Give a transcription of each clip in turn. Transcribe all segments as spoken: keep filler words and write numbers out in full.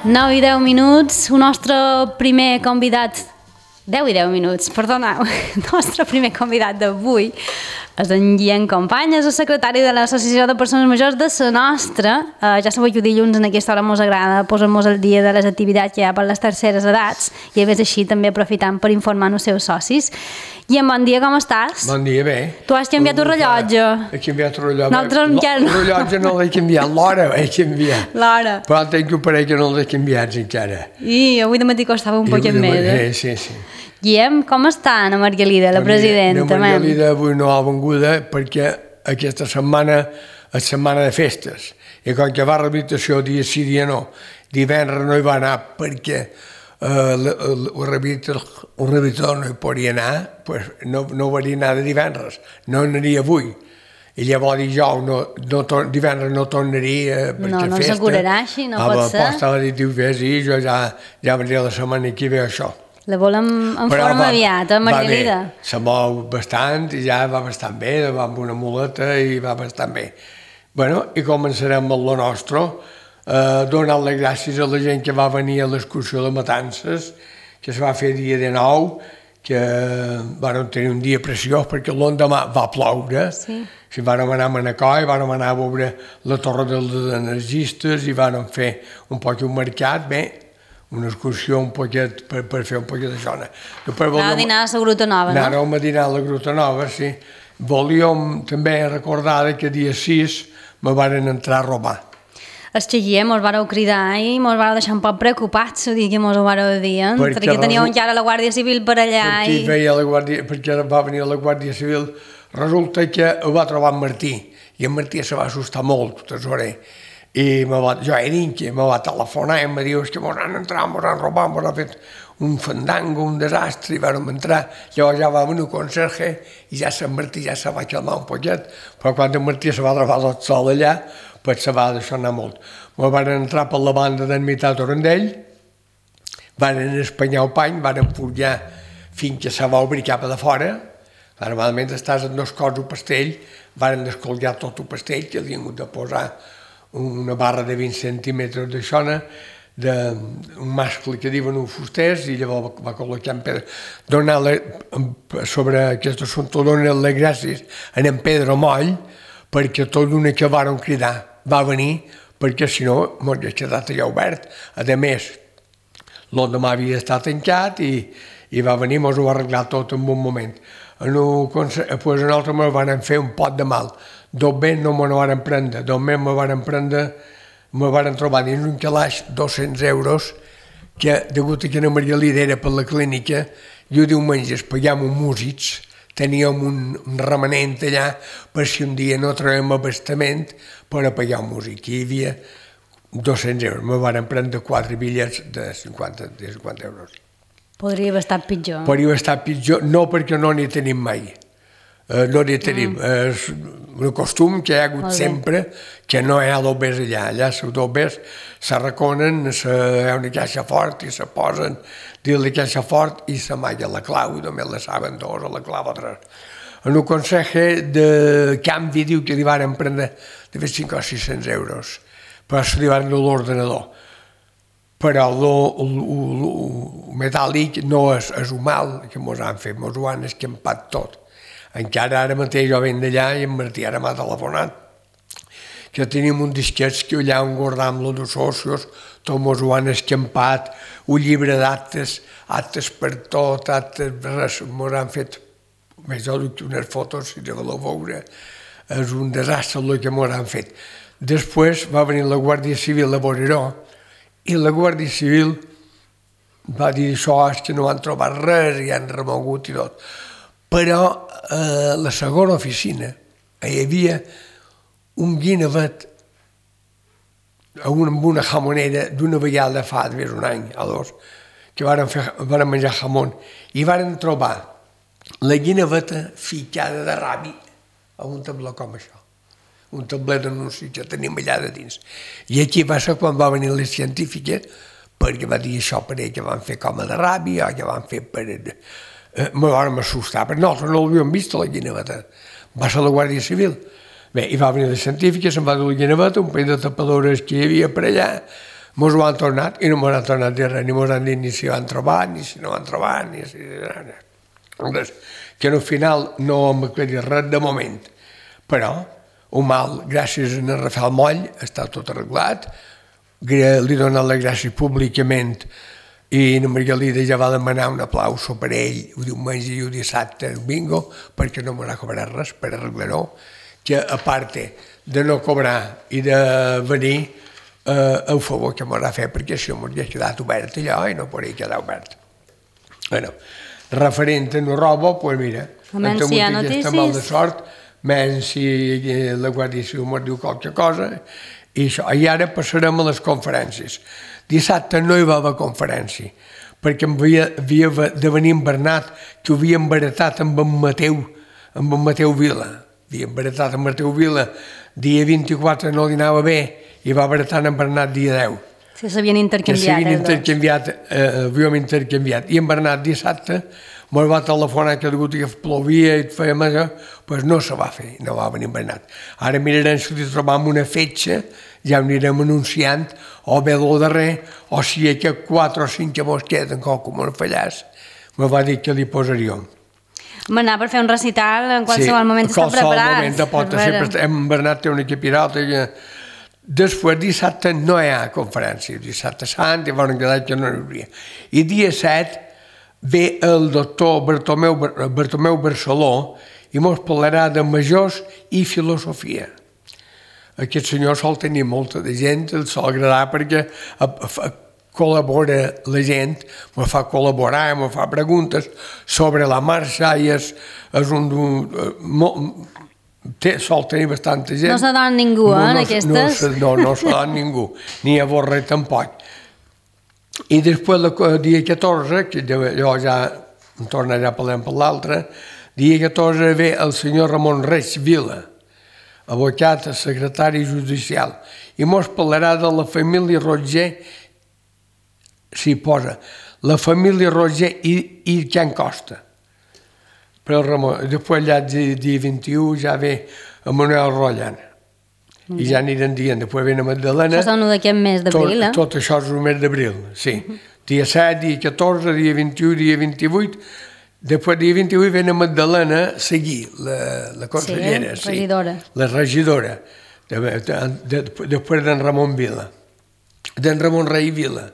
nou i deu minuts, el nostre primer convidat, deu i deu minuts, perdoneu, el nostre primer convidat d'avui és en Guillem Company, és el secretari de l'Associació de Persones Majors de la nostra. Uh, ja sabeu que dilluns en aquesta hora ens agrada posar-nos al dia de les activitats que hi ha per les terceres edats i a més així també aprofitant per informar els seus socis. Guillem, bon dia, com estàs? Bon dia, bé. Tu has canviat el rellotge. He canviat el rellotge. Nosaltres encara no. El rellotge no l'he canviat, l'hora he canviat. L'hora. Però tenc que parell que no l'he canviat encara. I avui de matí costava un poquet més. Eh? Sí, sí. Guillem, com està Ana Margalida, la presidenta? Ana Margalida avui no ha venguda perquè aquesta setmana és setmana de festes. I com que va a rehabilitació dia sí, dia no, divendres no hi va anar perquè uh, el rehabilitador no hi podia anar, pues no, no varia anar de divendres, no anaria avui. I llavors dijous, no, no, divendres no tornaria perquè no, no festa. No s'acurarà així, no pot ser. Doncs estava dit, diu, vés i jo ja, ja vendria la setmana que ve això. La volem en Però forma va, aviat, eh, Margalida? Va bé, se mou bastant i ja va bastant bé, va amb una muleta i va bastant bé. Bueno, i començarem amb lo nostre, eh, donant les gràcies a la gent que va venir a l'excursió de Matances, que es va fer dia de nou, que vam tenir un dia preciós perquè l'endemà va ploure. Sí. Si vam anar a Manacor, vam anar a veure la torre dels energistes i vam fer un poc un mercat, bé, una excursió un poquet per, per fer un poquet de zona. Anàveu a dinar a la Gruta Nova, no? Anàvem a dinar a la Gruta Nova, sí. Volíem també recordar que dia sis me van entrar a robar. Els que Guillem us vareu cridar i mos vareu deixar un poc preocupats o dir que mos ho vareu dir, eh? Perquè, perquè teníeu encara la Guàrdia Civil per allà perquè i... Veia la Guàrdia, perquè va venir la Guàrdia Civil, resulta que ho va trobar en Martí, i en Martí se va assustar molt, tesorer. I va, jo era inque, me va telefonar i em va dir que mos han entrat, mos han robat, mos han fet un fandango, un desastre, i vam entrar. Llavors ja va venir un conserge i ja Sant Martí ja se va calmar un poquet, però quan en Martí se va trobar tot sol allà, pues se va deixar anar molt. Me van entrar per la banda d'en Mitat Orandell, van espanyar el pany, van forjar fins que se va obrir cap a de fora. Normalment estàs en dos cors un pastell, van descolgar tot el pastell, que havien hagut de posar una barra de vint centímetres de xona, d'un mascle que diuen un fusters, i llavors va col·locar en pedra. Donar sobre aquest assumpte, donar les gràcies a en Pedro Moll, perquè tot d'una que varen cridar va venir, perquè si no m'hauria quedat allà obert. A més, l'endemà havia estat tancat i, i va venir, mos ho va arreglar tot en un moment. En un, pues nosaltres me van fer un pot de mal. Dos bé no me van prendre, dos més me van prendre, me van trobar dins un calaix dos-cents euros, que degut a que la Margalida era per la clínica, jo diumenges pagàvem un músics, teníem un, un remanent allà per si un dia no trobem abastament per a pagar un músic. Hi havia dos-cents euros, me van prendre quatre bitllets de cinquanta, de cinquanta euros. Podria haver estat pitjor. Podria haver estat pitjor, no perquè no n'hi tenim mai. Uh, no n'hi tenim. Mm. És un costum que hi ha hagut sempre, que no hi ha dobbers allà. Allà els dobbers s'arraconen, hi ha una caixa fort i se posen dins la caixa fort i s'amaga la clau i només la saben dos o la clau o tres. En un consell de canvi diu que li van prendre de cinc o sis-cents euros, però se li van donar l'ordenador. Però el metàl·lic no és, és un mal que mos han fet, mos ho han escampat tot. Encara ara mateix jo venc d'allà i en Martí ara m'ha telefonat que tenim un disquet que allà on guardam los dos socios, tot mos ho han escampat, un llibre d'actes, actes per tot, actes, res, mos han fet, més jo dic unes fotos, si te voleu veure, és un desastre el que mos han fet. Després va venir la Guàrdia Civil a veure-ho, i la Guàrdia Civil va dir això, és que no han trobat res i han remogut i tot. Però a la segona oficina hi havia un guinevet amb una jamonera d'una vegada fa més un any o dos, que van, fer, van menjar jamón, i van trobar la guineveta ficada de ràbia a un tabló com això. Un tablet d'anunci que tenim allà de dins. I aquí va ser quan va venir la científica, perquè va dir això per ell que van fer com a de ràbia, o que van fer per... Eh, me vam assustar, perquè nosaltres no l'havíem vist, la guineveta. Va ser la Guàrdia Civil. Bé, i va venir la científica, se'n va dur la guineveta, un parell de tapadores que hi havia per allà, Mos ho han tornat i no mos han tornat a dir res, ni mos han dit ni si van trobar, ni si no van trobar, ni si... Res. Que al final no hem aclarit res de moment. Però, un mal, gràcies a Rafael Moll, està tot arreglat, li he donat les gràcies públicament i la Margalida ja va demanar un aplauso per ell el diumenge i el dissabte el bingo perquè no m'ha cobrat res per arreglar-ho, que a part de no cobrar i de venir eh, el favor que m'ha fet perquè si m'ho hauria quedat obert allò i no podria quedar obert. Bueno, referent a la roba, doncs mira, menys si hi ha notícies, mal de sort, menys si la Guàrdia Civil m'ho diu qualque cosa, i això. I ara passarem a les conferències. Dissabte no hi va haver conferència, perquè havia, havia de venir en Bernat, que ho havia embaratat amb en Mateu, amb en Mateu Vila. Havia embaratat amb Mateu Vila, dia vint-i-quatre no li anava bé, i va embaratar en Bernat dia deu. Que s'havien intercanviat. Que s'havien intercanviat, eh, havíem intercanviat. I en Bernat dissabte me'l va telefonar que degut que plovia i fèiem això, doncs no se va fer, no va venir en Bernat. Ara mirarem si li trobam una fetge, ja ho anirem anunciant, o bé el darrer, o si hi ha que quatre o cinc que mos queden, com no fallàs, me va dir que li posaríem. M'anar per fer un recital, en qualsevol sí, moment està preparat. Qualsevol moment de pot sempre... En Bernat té un equip pirata que... Després, dissabte no hi ha conferència, dissabte sant, i van quedar que no hi hauria. I dia set ve el doctor Bartomeu, Bartomeu Barceló i mos parlarà de majors i filosofia. Aquest senyor sol tenir molta de gent, el sol agradar perquè col·labora la gent, me fa col·laborar, me fa preguntes sobre la marxa i és, és un... Té, sol tenir bastanta gent. No se dona ningú, eh, en aquestes? No, no se dona ningú, ni a Borre tampoc. I després, el dia catorze, que jo ja em tornaré a parlar per l'altre, dia catorze ve el senyor Ramon Reig Vila, abocat, secretari judicial, i mos parlarà de la família Roger, s'hi posa, la família Roger i, i Can Costa. Però el Ramon, després allà dia vint-i-u ja ve Manuel Rotllan. I ja aniran dient, després ve la Magdalena. Això és un d'aquest mes d'abril, eh? Tot això és un mes d'abril, sí. Dia set, dia catorze, dia vint-i-u, dia vint-i-vuit. Després dia vint-i-vuit ve la Magdalena a seguir, la consellera. Sí, regidora. La regidora. Després d'en Ramon Vila. D'en Ramon Rei Vila.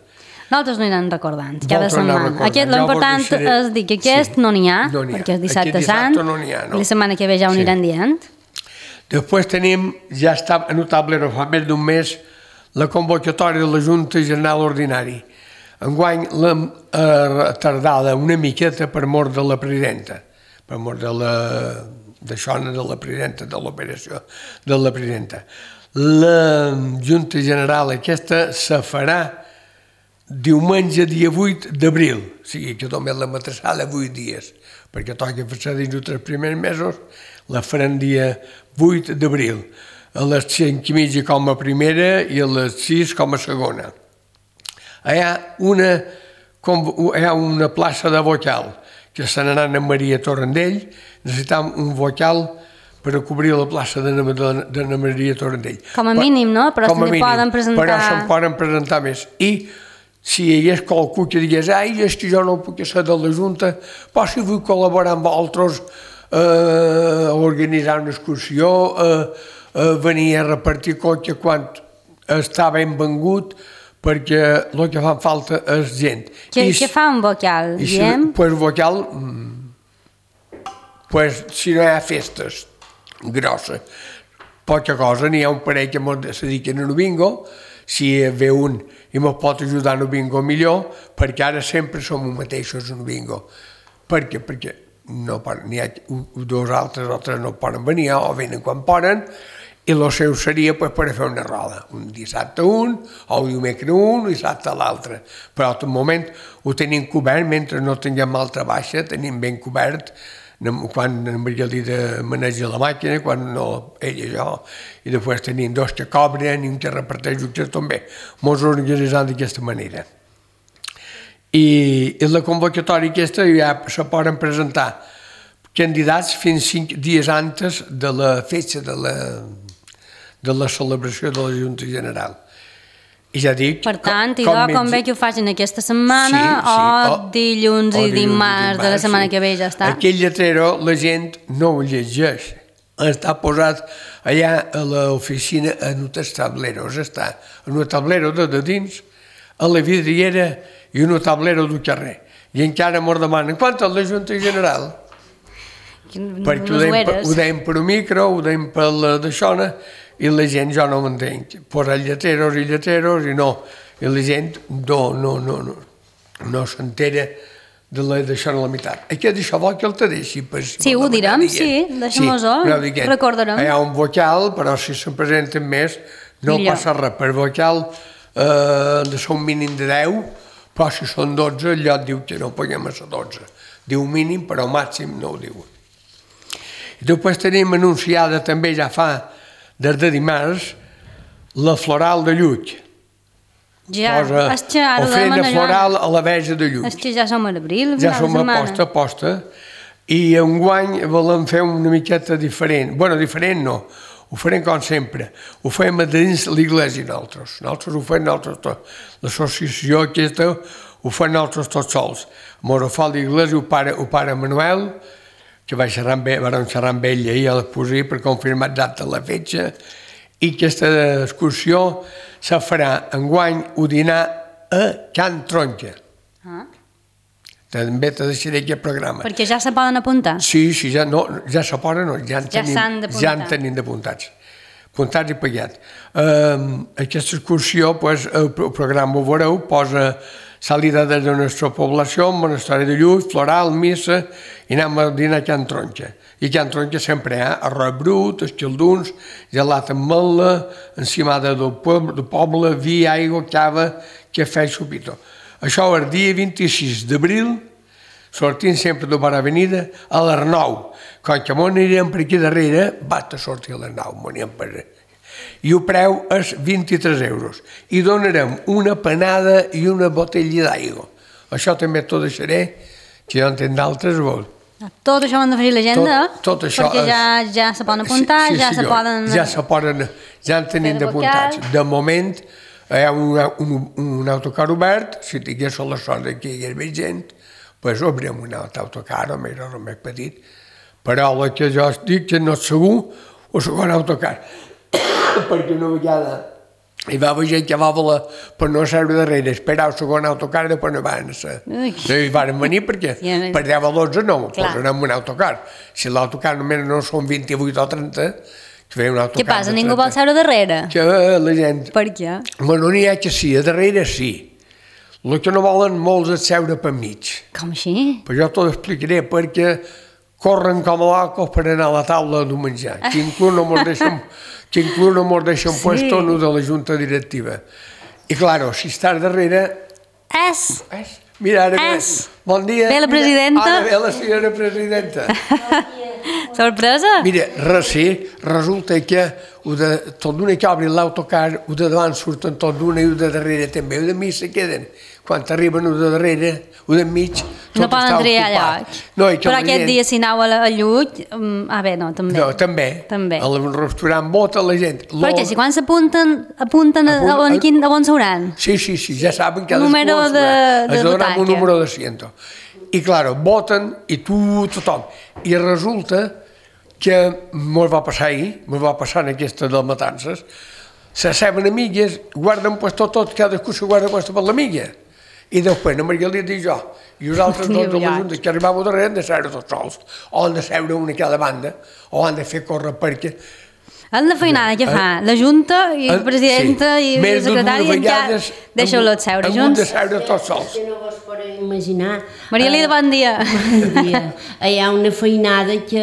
Nosaltres no hi anem recordant, cada setmana. L'important és dir que aquest no n'hi ha, perquè és dissabte sant, i la setmana que ve ja ho aniran dient. Després tenim, ja està notable, no fa més d'un mes, la convocatòria de la Junta General Ordinari. Enguany l'hem tardada una miqueta per mort de la presidenta, per mort de la d'això, de la presidenta, de l'operació de la presidenta. La Junta General aquesta se farà diumenge, dia vuit d'abril, o sigui que també la matressada vuit dies, perquè toca fer dins dels tres primers mesos, la farem dia vuit d'abril, a les cinc i mitja com a primera i a les sis com a segona. Hi ha una, hi ha una plaça de vocal, que se n'anà a Maria Torrendell, necessitam un vocal per a cobrir la plaça de na Maria Torrendell. Com a mínim, no? Però se n'hi poden presentar... Però se'n poden presentar més. I si hi hagués qualcú que digués ai, és que jo no puc ser de la Junta, però si vull col·laborar amb altres, a organitzar una excursió, a venir a repartir cotxe quan està ben vengut, perquè el que fa falta és gent. Què fa un vocal, diem? Doncs vocal, si no hi ha festes grosses, poca cosa, n'hi ha un parell que es dediquen a un bingo, si ve un i me pot ajudar en el bingo millor, perquè ara sempre som els mateixos en el bingo. Per què? Perquè n'hi ha dos altres, altres no poden venir, o venen quan poden, i el seu seria per fer una roda. Un dissabte un, o un dimecres un, i dissabte l'altre. Però al moment ho tenim cobert, mentre no tinguem altra baixa, tenim ben cobert, quan en Margalida maneja la màquina, quan no ell i jo, i després tenim dos que cobren i un que reparteix que també. Ens organitzem d'aquesta manera. I la convocatòria aquesta ja se poden presentar candidats fins cinc dies antes de la festa de la, de la celebració de la Junta General. I ja dic... Per tant, com, idò, com, com ve que ho facin aquesta setmana, Sí, sí, o, o- dilluns o i dilluns i dimarts de la dimarts, setmana sí. que ve, ja està. Aquell lletrero la gent no ho llegeix. Està posat allà a l'oficina en un tablero, està en un tablero de, de dins, a la vidriera i un tablero del carrer. I encara mos demanen quant és la Junta General? Perquè ho deim, per, ho deim per un micro, ho deim per la d'aixona, i la gent jo no m'entenc. Posa lleteros i lleteros i no. I la gent no, no, no, no, no s'entera de la d'això a la meitat. Aquest d'això vol que el te deixi. Per, si Sí, ho direm, sí, deixem-ho-ho, sí, recordarem. Hi ha un vocal, però si se'n presenten més, no Millor. passa res. Per vocal eh, de ser un mínim de deu, però si són dotze, allò et diu que no paguem a ser dotze. Diu mínim, però màxim no ho diuen. I després tenim anunciada també, ja fa, des de dimarts, la floral de Llull. Ja, Posa és que ara ho ofrena demana floral a la Verge de Llull. És que ja som a l'abril, Ja final de som a setmana. posta a posta. I enguany volem fer una miqueta diferent. Bueno, diferent no. Ho farem com sempre. Ho fem a dins l'església nosaltres. Nosaltres ho fem nosaltres tots. L'associació aquesta ho fem nosaltres tots sols. Mos ho fa l'església, ho pare, ho pare Manuel, que va xerrar amb ell, vam xerrar amb ell ahir a l'Esposí per confirmar exacte la fetge, i aquesta excursió se farà enguany un dinar a Can Tronca. Ah. També te deixaré aquest programa. Perquè ja se poden apuntar. Sí, sí, ja, no, ja se poden, no, ja en Ja tenim, s'han d'apuntar. ja en tenim d'apuntats. Apuntats i pagats. Uh, aquesta excursió, pues, el, el programa ho veureu, posa salida de la nostra població, Monestori de Llull, floral, missa, i anem a dinar a Can Tronca. I a Can Tronca sempre hi ha arròs brut, escalduns, gelat amb mel·la, encimada del poble, del poble, vi, aigua, cava, cafè i xupito. Això el dia vint-i-sis d'abril, sortint sempre de Bona Avenida, a les nou. Com que m'ho anirem per aquí darrere, vaig a sortir a les nou, m'ho anirem per... I el preu és vint-i-tres euros. I donarem una panada i una botella d'aigua. Això també t'ho deixaré, que jo en tenc d'altres, vol. Tot això ho han de fer l'agenda, Tot- tot això perquè és- ja, ja se poden apuntar, Sí, sí, ja se senyor. poden... Ja se poden, ja en tenim fer de d'apuntats. vocal. De moment, hi ha un, un, un autocar obert, si tingués la sort que hi hagués més gent, doncs obrirem un altre autocar, o més o més petit. Però el que jo dic que no és segur, o segon autocar. Perquè una vegada hi va haver gent que va voler per no seure darrere, esperar el segon autocar i després no van ser. Ui. No hi van venir perquè Sí, a- per deu a dotze no, Clar. posen en un autocar. Si l'autocar només no són vint-i-vuit o trenta, que feia un autocar Què passa, de ningú vol trenta. seure darrere? Que la gent... Per què? Bueno, n'hi ha que sí, a darrere sí. El que no volen molts és seure per mig. Com així? Però jo t'ho explicaré perquè corren com a locos per anar a la taula d'un menjar. Que inclús no mos deixen, que inclús no mos deixen Sí. puesto no de la junta directiva. I claro, si estàs darrere... És... És, mira, ara ve, És. bon dia. Ve la mira, presidenta. Ara ve la senyora presidenta. Sorpresa? Mira, res, sí, resulta que ho de, tot d'una que obrin l'autocar, ho de davant surten tot d'una i ho de darrere també, ho de mig se queden. Quan arriben ho de darrere, ho de mig, tot No poden està triar ocupat. lloc. No, i que Però la aquest gent- dia, si aneu a, la, a Llull... Um, ah, bé, no, també. No, també. També. Al restaurant vota la gent. Perquè si quan s'apunten, apunten a, a, on, quin, a on seuran? Sí, sí, sí, ja saben que Número de- de es donarà un butaca. número de asiento. I claro, voten i tu, tothom. I resulta que mos va passar ahir, mos va passar en aquesta de matances, s'asseuen amigues, guarden puesto tot, cadascú se guarda puesto per l'amiga. I després la Margalida i jo, i els altres dos de la Junta que arribàvem darrere han de seure tots sols, o han de seure una a cada banda, o han de fer córrer perquè... És la feinada que fa la Junta i la presidenta Sí. i el Més de secretari dues i encara vegades deixeu-los seure han hagut de junts. seure tots sols. Que no vos podeu imaginar. Maria Lida, bon dia. Bon dia. Hi ha una feinada que...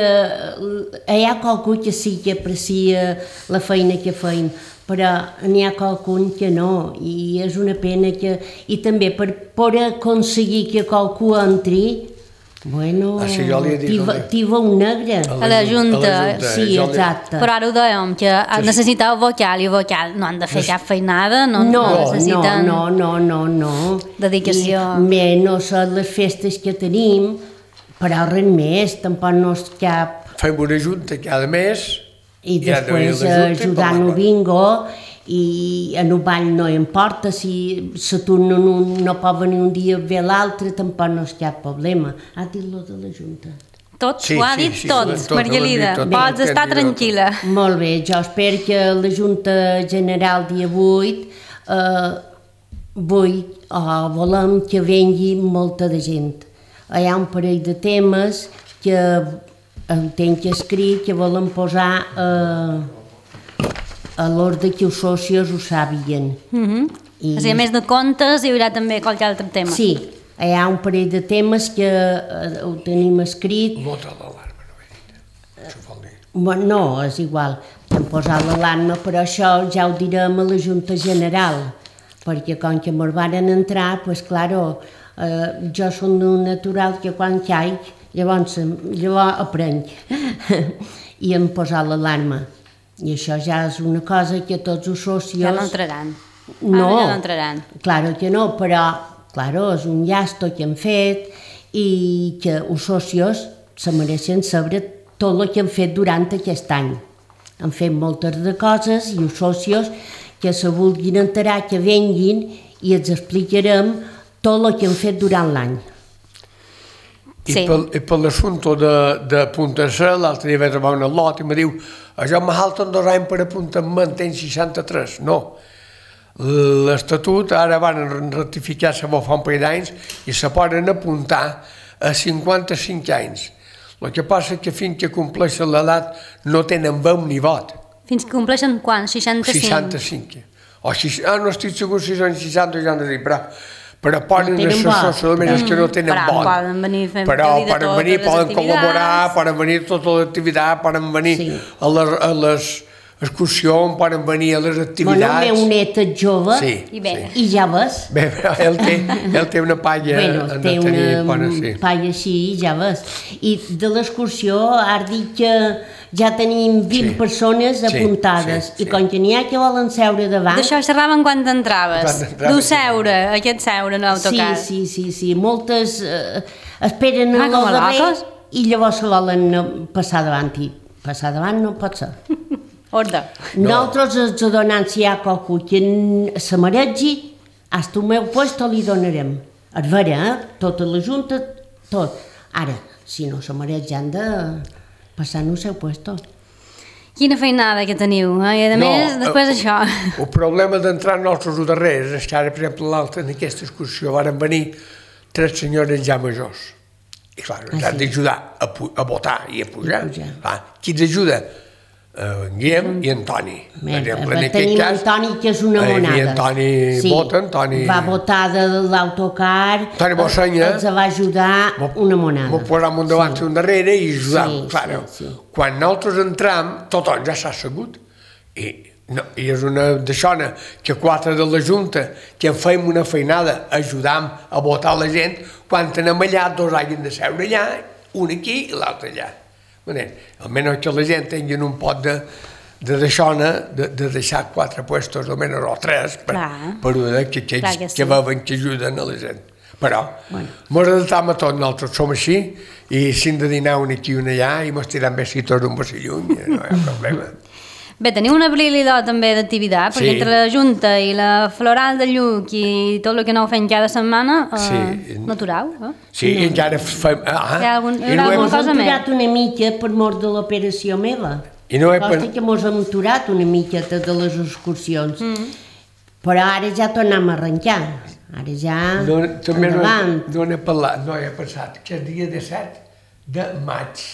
Hi ha qualcú que sí que aprecia la feina que feim, però n'hi ha qualcun que no, i és una pena que... I també per poder aconseguir que qualcú entri, bueno, Ah, sí, jo li he dit, tiba, jo li- tiba un negre. A la Junta. A la Junta, Sí, jo li- exacte. Però ara ho dèiem, que necessiteu vocal i vocal no han de fer cap feinada, no, No, no necessiten... no, no, no, no. Dedicació. I menys a les festes que tenim, però res més, tampoc no és cap... Fem una junta cada mes I ha de venir després la Junta i ajudant parlar. el bingo, i en un ball no importa, si se torna un no pot venir un dia ve l'altre, tampoc no és cap problema. Ha dit lo de la Junta. Tot, Sí, ho ha sí, dit sí, tot, tot, ho Margalida. han dit tot, Pots tot, estar tot, tot. tranquil·la. Molt bé, jo espero que la Junta General dia vuit eh, vull, o volem que vengui molta de gent. Hi ha un parell de temes que entenc que escrit que volen posar eh, a l'ordre que els socis ho sàpiguen. Mhm. I- O sigui, a més de contes, hi haurà també qualque altre tema. Sí, hi ha un parell de temes que eh, ho tenim escrit. Molta l'alarma, no he dit. Això vol dir. Bueno, no, és igual, hem posat l'alarma, però això ja ho direm a la Junta General, perquè com que me'n varen entrar, doncs, claro, eh, jo som un natural que quan caic, llavors, llavors aprenc, i hem posat l'alarma. I això ja és una cosa que tots els socis... Ja no entraran. No, Ara ja no entraran. claro que no, però claro, és un llasto que hem fet i que els socis se mereixen saber tot el que hem fet durant aquest any. Hem fet moltes de coses i els socis que se vulguin enterar que venguin i els explicarem tot el que hem fet durant l'any. I Sí. pel, i per l'assumpte de, de Punta C, l'altre dia vaig trobar una lot i me diu això me falten dos anys per apuntar, me'n tenc seixanta-tres. No. L'Estatut ara van ratificar-se fa un parell d'anys i se poden apuntar a cinquanta-cinc anys. El que passa és que fins que compleixen l'edat no tenen veu ni vot. Fins que compleixen quan? seixanta-cinc? seixanta-cinc. O sis, ah, no estic segur si són seixanta o seixanta-cinc, però, però poden tenen ser vot. socials que no tenen Però vot. poden venir fent Però de poden totes venir, les poden activitats. col·laborar, poden venir a tota l'activitat, poden venir Sí. a les, a les excursions, poden venir a les Bueno, el activitats. meu net és jove Sí, I bé. i ja ves, Bé, però ell té, ell té una palla bueno, en té de tenir una bona, sí. palla així, ja ves. I de l'excursió has dit que ja tenim vint Sí. persones Sí, apuntades sí, sí. i com que n'hi ha que volen seure davant... D'això xerraven quan t'entraves. Quan entraves, D'ho sí. seure, aquest seure no Sí, autocar. sí, sí, sí, moltes eh, esperen Ah, a com lo a darrer locos? i llavors se volen eh, passar davant i passar davant no pot ser. Orde. No. Nosaltres els donant si hi ha qualcú que n- se mereixi, hasta el meu puesto li donarem. És vera, eh? Tota la junta, tot. Ara, si no se mereix, ja han de passar en el seu puesto. Quina feinada que teniu, eh? I a més, després eh, això. El problema d'entrar nosaltres al darrere és que ara, per exemple, l'altre, en aquesta excursió, varen venir tres senyores ja majors. I clar, ens Ah, han sí. d'ajudar a, pu- a votar i a pujar. I pujar. Clar, qui ens ajuda? Uh, en Guillem i en Toni. Bé, tenim en Toni, que és una eh, monada. I en Toni vota, en Toni... Va votar de l'autocar, Toni Bossanya. els va ajudar una monada. M'ho posam un davant i un darrere i ajudam. Sí, Claro, sí, sí. quan nosaltres entram, tothom ja s'ha assegut. I, no, I és una d'aixona que quatre de la Junta, que en feim una feinada, ajudam a votar la gent, quan anem allà, dos hagin de seure allà, un aquí i l'altre allà. Almenys que la gent tingui un pot de, de deixona, de, de deixar quatre puestos, almenys o tres, per, Clar. per una, que, que, Clar que, que sí. que veuen que ajuden a la gent. Però Bueno. mos adaptam a tot, nosaltres som així, i si hem de dinar un aquí i un allà, i mos tirem besitos un passi lluny, no hi ha problema. Bé, teniu una habilitat també d'activitat, perquè Sí. entre la Junta i la Floral de Lluc i tot el que aneu fent cada setmana, eh, Sí. no aturau, eh? Sí, i encara fem... Ah, Hi ha algun- hi i haurà no hem, alguna Mos cosa hem més? aturat una mica per mort de l'operació meva. I no he Costa pen- que mos hem aturat una miqueta de les excursions. Mm. Però ara ja tornem a arrencar. Ara ja no, també no, endavant. no n'he parlat, no he pensat, que el dia disset de maig,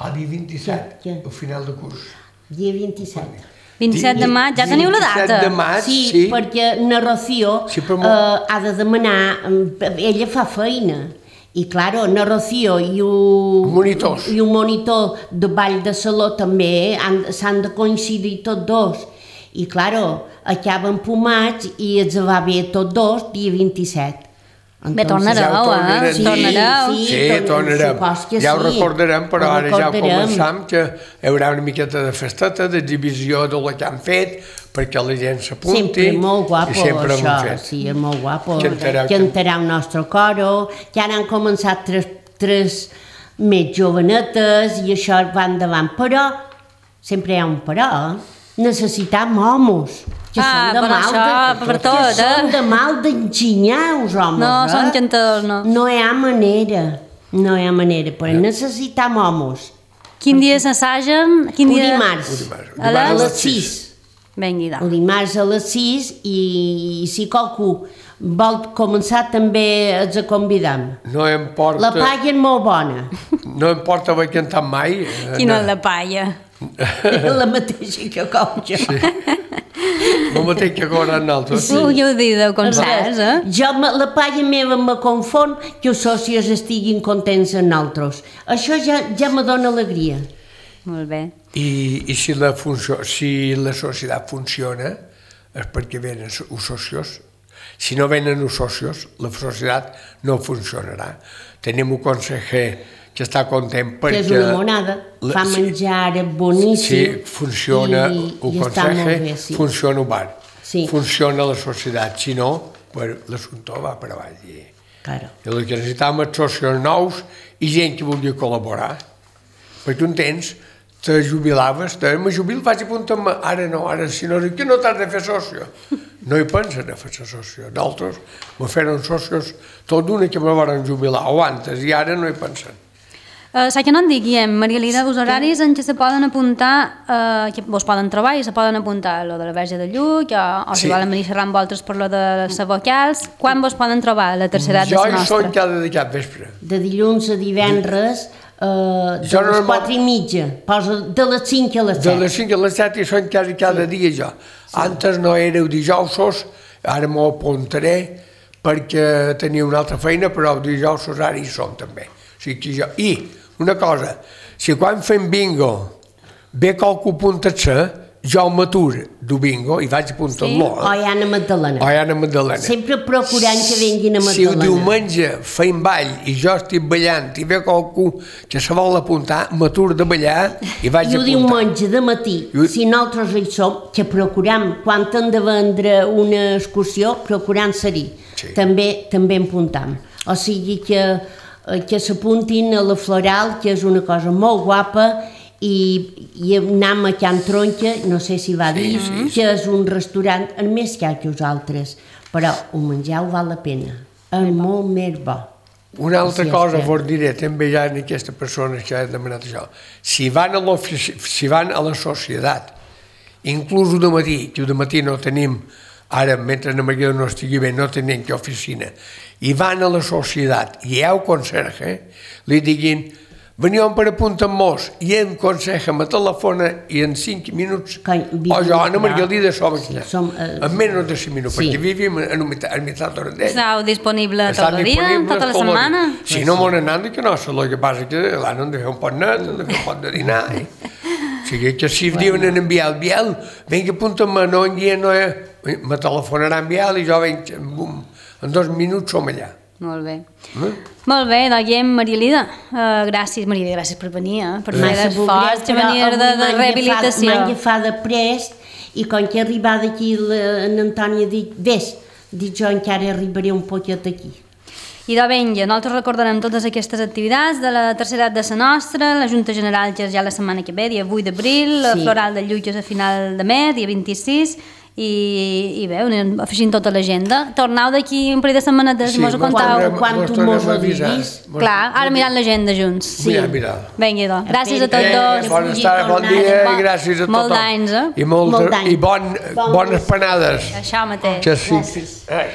el dia vint-i-set, Què? Què? al final de curs. Dia vint-i-set. vint-i-set de maig, ja teniu la data. vint-i-set de maig, Sí, sí. perquè na Rocío Sí, però mo- eh, ha de demanar, eh, ella fa feina, i claro, na Rocío i un, Monitors. i un monitor de ball de saló també han- s'han de coincidir tots dos. I claro, acaben pomats i els va bé tots dos dia vint-i-set. Bé, tornareu, ja ho eh? tornarem. Sí, tornareu. Sí, Sí, torn- tornarem. supos que Ja ho sí. recordarem, però Ho ara ja ho recordarem. començam, que hi haurà una miqueta de festeta, d'exhibició del que han fet, perquè la gent s'apunti. Sempre molt guapo, i sempre ho hem això, fet. sí, és molt guapo. Cantareu, Cantarà el nostre coro, ja han començat tres, tres més jovenetes i això va endavant, però sempre hi ha un però, eh? necessitam homes. Que Ah, són de però mal això de, per que tot, eh? són de mal d'enginyar, els homes, No, eh? són cantadors, no. No hi ha manera, no hi ha manera, però necessitam homes. Quin dia s'assagen? Quin Un dia... dimarts, dimarts. A a les... les sis. Vengui, El dimarts a les sis i, i si qualcú vol començar també els convidam. No em porta... La palla és molt bona, No em porta haver cantat mai. eh, Quina no. és la palla? la mateixa que com jo. El mateix que cobren nosaltres. Sí. Vulgueu dir de concerts, eh? Jo, me- la palla meva me confon que els socis estiguin contents amb nosaltres. Això ja, ja me dóna alegria. Molt bé. I, i si, la funció, si la societat funciona és perquè venen els socios. Si no venen els socios, la societat no funcionarà. Tenim un conseller que està content perquè... Que és una monada, la- fa sí, menjar boníssim. Sí, funciona i, el i està molt conseller, bé, sí. funciona el bar, Sí. funciona la societat. Si no, pues, l'assumpte va per avall. I, Claro. I el que necessitam és socios nous i gent que vulgui col·laborar. Perquè un temps te jubilaves, te me jubil, vaig apuntar-me, ara no, ara si no, que no t'has de fer socio. No hi pensen a fer socio. D'altres me feren socios tot d'una que me van jubilar, o antes, i ara no hi pensen. Uh, Sa que no en diguem, Maria Lida, els horaris en què se poden apuntar, uh, que vos poden trobar i se poden apuntar lo de la Verge de Lluc, o, o si Sí. volen venir a xerrar amb vosaltres per lo de les vocals, quan vos poden trobar a la tercera edat de Jo la hi nostra? soc cada de cap vespre. De dilluns a divendres, eh, de Jo les normal- quatre i mitja, posa de les cinc a les De set. les cinc a les set hi són quasi cada dia jo. Antes no éreu dijousos, ara m'ho apuntaré perquè tenia una altra feina, però els dijousos ara hi som també. O sigui que jo... I una cosa, si quan fem bingo ve qualcú apuntar-se, jo m'atur du bingo i vaig apuntar-lo. O hi ha Anna Magdalena. O hi ha Anna Magdalena. Sempre procurant que vinguin a Si el Magdalena. diumenge feim ball i jo estic ballant i ve qualcú que se vol apuntar, m'atur de ballar i vaig I el apuntar. diumenge de matí, I- si nosaltres hi som, que procuram, quan hem de vendre una excursió, procurant ser-hi. Sí. També, també en apuntam. O sigui que, eh, que s'apuntin a la Floral, que és una cosa molt guapa, i, i anem a Can Tronca, no sé si va dir, Sí, sí, que és un restaurant el més car que els altres, però el menjar ho val la pena. És molt més bo. Una altra Sí, cosa és que- vos diré, també hi ha aquestes persones que han demanat això. Si van a, si van a la societat, inclús el matí, que el matí no tenim, ara, mentre la Maria no estigui bé, no tenim que oficina, i van a la societat i hi ha un conserge, li diguin, veniu per apuntar-nos i en conserge me telefona i en cinc minuts, Coi, vivim, o jo, Anna Maria no? Lida, som aquí. Som, eh, en menys de cinc minuts, sí. perquè vivim en un mitjà d'hora d'ell. Estàu disponible Està tot el dia, disponible tota la tot el dia. setmana? Si no m'ho n'han que no, el que passa que l'han de fer un pot net, han de fer un pot de dinar. Eh? O sigui que si bueno. diuen en Biel, Biel, vinga, apunta-me, no en guia, no, eh? me telefonarà en Biel i jo venc, bum, en dos minuts som allà. Molt bé. Eh? Molt bé, doncs ja, Maria Lida, uh, gràcies, Maria Lida, gràcies per venir, eh? per fer Massa l'esforç de voldria, venir però de, avui de m'han rehabilitació. agafat- M'han agafat de prest i quan que he arribat aquí la- en Antoni ha dit, vés, dic jo encara arribaré un poquet aquí. I de venja, nosaltres recordarem totes aquestes activitats de la tercera edat de la nostra, la Junta General que és ja la setmana que ve, dia vuit d'abril, la Sí. Floral de Lluc és a final de mes, dia vint-i-sis, i, i bé, anem afegint tota l'agenda. Tornau d'aquí un parell de setmanetes, Sí, mos ho mos contau. tornem- Quan mos tu tornem mos a ho avisar. diguis. Mos- Clar, ara mirant l'agenda junts. Sí. Mira, mira. Vinga, doncs. Gràcies a tots Espera, dos. que Bona pugui estada, bon tornar. dia Bon- i gràcies a tothom. molt d'anys, eh? I, molt, Molt d'anys. i bon, Bon bones gust. panades. Això mateix. Que sí. Gràcies. Ai.